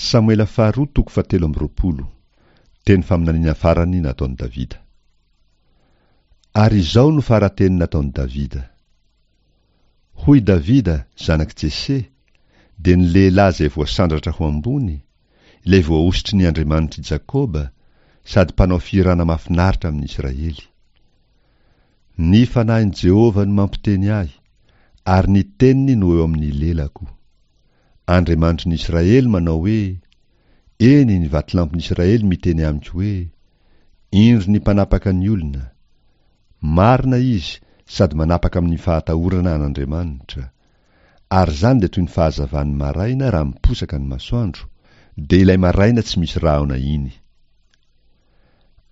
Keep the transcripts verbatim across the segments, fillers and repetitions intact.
Samoela faharoa toko fahatelo amby roapolo. Teny faminaniana farany nataon'i Davida. Ary izao no fara-teny nataon'i Davida. Hoy Davida, zanak'i Jese, dia ny lehilahy izay voasandratra ho ambony, ilay voahosotry ny Andriamanitr'i Jakoba, sady mpanao fihirana mahafinaritra amin'i Israely. Ny fanahin'i Jehovah no mampiteny ahy, ary ny teniny no eo amin'ny lelako. Andriamanitry ny Israely manao hoe, Eny, ny vatolampin'i Israely miteny amiko hoe, Indro ny mpanapaka ny olona. Marina izy sady manapaka amin'ny fahatahorana an'Andriamanitra. Ary izany dia toy ny fahazavan'ny maraina raha miposaka ny masoandro, dia ilay maraina tsy misy rahona iny.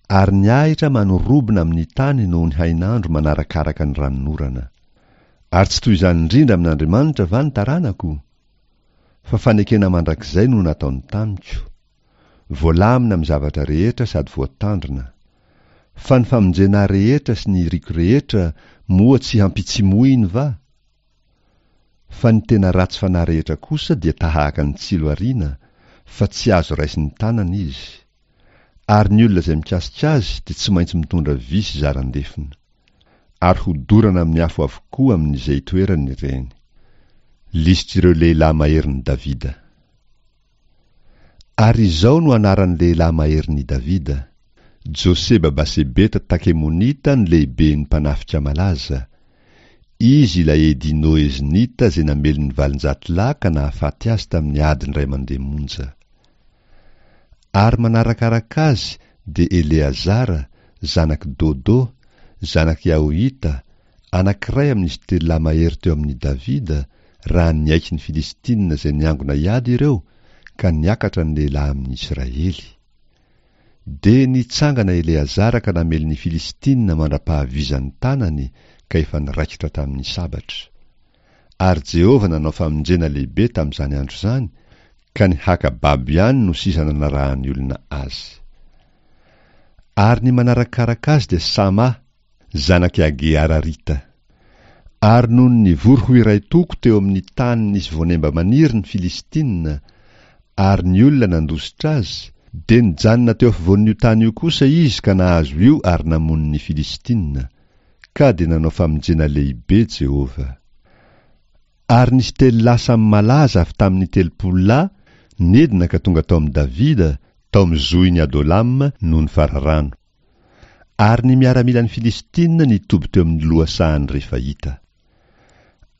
Ary ny ahitra manorobona amin'ny tany noho ny hainandro manarakaraka ny ranonorana. Ary tsy toy izany indrindra amin'Andriamanitra va ny taranako? Fa fanekena mandrakizay no nataony tamiko. Voalamina amin'ny zavatra rehetra sady voatandrina. Fa ny famonjena ahy rehetra sy ny iriko rehetra moa tsy hampitsimohiny va? Fa ny tena ratsy fanahy rehetra kosa dia tahaka ny tsilo ariana, fa tsy azo raisin'ny tanana izy. Ary ny olona izay mikasika azy dia tsy maintsy mitondra vy sy zaran-defona. Ary hodorana amin'ny afo avokoa amin'izay itoerany ireny. Lisitr'ireo lehilahy maherin'i Davida. Ary izao no anaran'ny lehilahy maherin'i Davida, Joseba Basebeta Takemonita no lehiben'ny mpanafika malaza. Izy ilay Edino Eznita izay namely ny valonjato lahy ka nahafaty azy tamin'ny ady indray mandeha monja. Ary manarakaraka azy dia Eleazara, zanak'i Dodo, zanak'i Ahohita, anankiray amin'izy telo lahy mahery teo amin'i Davida, raha niaiky ny Filistina izay niangona hiady ireo, ka niakatra ny lehilahy amin'i Israely. Dia nitsangana Eleazara ka namely ny Filistina mandra-pahavizan'ny tanany ka efa niraikitra tamin'ny sabatra. Ary Jehovah nanao famonjena lehibe tamin'izany andro izany, ka ny haka babo ihany no sisa nanarahan'ny olona azy. Ary ny manarakaraka azy dia Sama, zanak'i Age Ararita. Ary nony nivory ho iray toko teo amin'ny tany nisy voanemba maniry ny Filistina, ary ny olona nandositra azy, dia nijanona teo afovoan'io tany io kosa izy ka nahazo io ary namono ny Filistina. Ka dia nanao famonjena lehibe Jehovah. Ary nisy telo lahy samy malaza avy tamin'ny telopolo lahy nidina ka tonga tao amin'i Davida tao amin'ny zohin'i Adolama noho ny fararano. Ary ny miaramilan'ny Filistina nitoby teo amin'ny lohasahan'ny Refaita.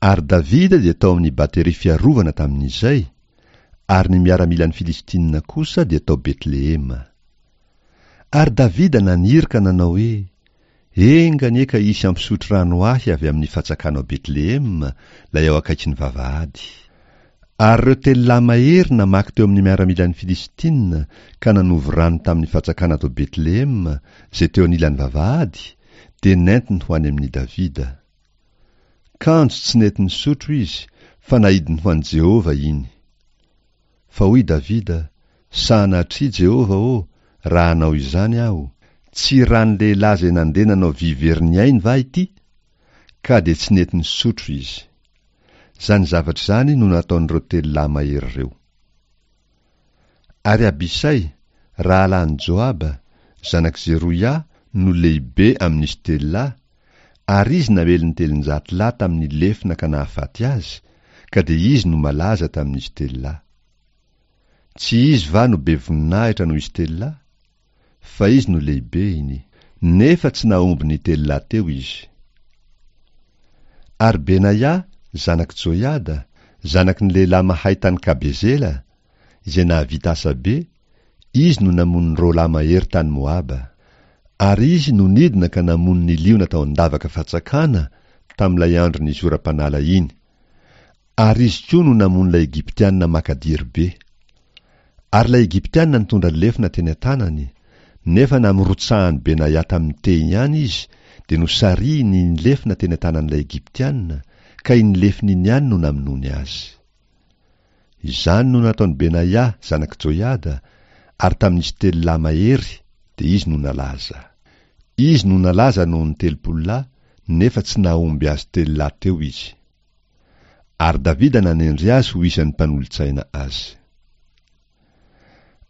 Ary Davida dia tao amin'ny bateria fiarovana tamin'izay, ary ny miaramilan'ny Filistina kosa dia tao Betlehema. Ary Davida naniry ka nanao hoe, Enga anie ka hisy hampisotro rano ahy avy amin'ny fatsakana ao Betlehema, ilay ao akaikin'ny vavahady. Ary ireo telo lahy mahery namaky teo amin'ny miaramilan'ny Filistina ka nanovo rano tamin'ny fatsakana tao Betlehema, izay teo anilan'ny vavahady, dia nentiny ho any amin'i Davida. Kanjo tsy nety nisotro izy, fa naidiny ho an'i Jehovah iny. Fa hoy Davida, Sanatria, Jehovah ô, raha hanao izany aho, tsy ran'ny lehilahy izay nandeha nanao vy very ny ainy va ity? Ka dia tsy nety nisotro izy. Izany zavatra izany no nataon'ireo telo lahy mahery ireo. Ary Abisay, rahalahin'i Joaba, zanak'i Zeroia, no lehibe amin'izy telo lahy, ary izy namely ny telonjato lahy tamin'ny lefona ka nahafaty azy, ka dia izy no malaza tamin'izy telo lahy. Tsy izy va no be voninahitra noho izy telo lahy? Fa izy no lehibehiny, nefa tsy nahomby ny telo lahy teo izy. Ary Benaia, zanak'i Joiada, zanaky ny lehilahy mahay tany Kabezela, izay nahavita asa be, izy no namono ny roa lahy mahery tany Moaba. Ary izy no nidina ka namono ny liona tao an-davaka fatsakana tamin'ilay andro nisy oram-panala iny. Ary izy koa no namono ilay Egyptiana makadiry be. Ary ilay Egyptiana nitondra lefona teny an-tanany, nefa namorotsahan'i Benaia tamin'ny tehiny ihany izy, dia nosarihiny iny lefona teny an-tanan'ilay Egyptiana, ka iny lefona iny ihany no namonoany azy. Izany no nataon'i Benaia, zanak'i Joiada, ary tamin'izy telo lahy mahery, dia izy no nalaza. Izy no nalaza noho ny telopolo lahy, nefa tsy nahomby azy telo lahy teo izy. Ary Davida nanendry azy ho isan'ny mpanolotsaina azy.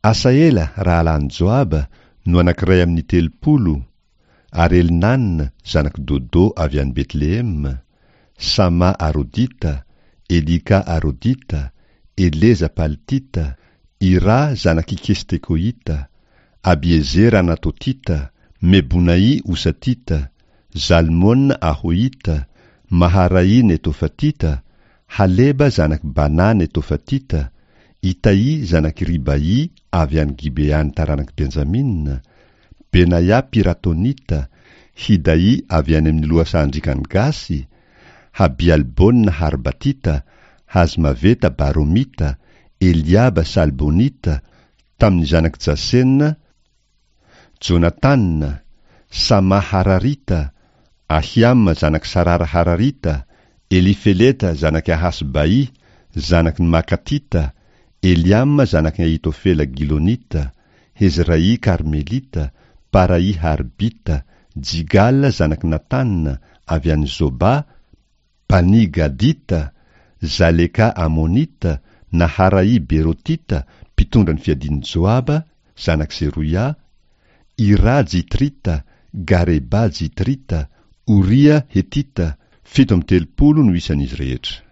Asaela rahalahin'i Joaba no anankiray amin'ny telopolo, ary Elnana zanak'i Dodo avy any Betlehema, Sama Arodita, Elika Arodita, Eleza Paltita, Ira zanak'i Kestekoita, Abiezera Anatotita, Mebonai Osatita, Zalmona Ahoita, Maharai Netofatita, Haleba zanak'i Bana Netofatita, Itaì zanak'i Ribaì avy any Gibean'ny taranak'i Benjamina, Benaia Piratonita, Hidaì avy any amin'ny lohasahan-driakan'i Gasy, Habialbona Harbatita, Hazmaveta Baromita, Eliaba Salbonita, tamin'ny zanak'i Jasena, Jonatana, Sama Hararita, Ahiama zanak'i Sarara Hararita, Elifeleta zanak'i Ahasbai, zanaky ny Makatita, Eliama zanak'i Ahitofela Gilonita, Hezrai Karmelita, Parai Harbita, Jigala zanak'i Natana avy any Zoba, Bani Gadita, Zaleka Amonita, Naharai Berotita, mpitondra ny fiadian'i Joaba, zanak'i Zeroia, Ira Jitrita, Gareba Jitrita, Oria Hetita, fito amby telopolo no isan'izy rehetra.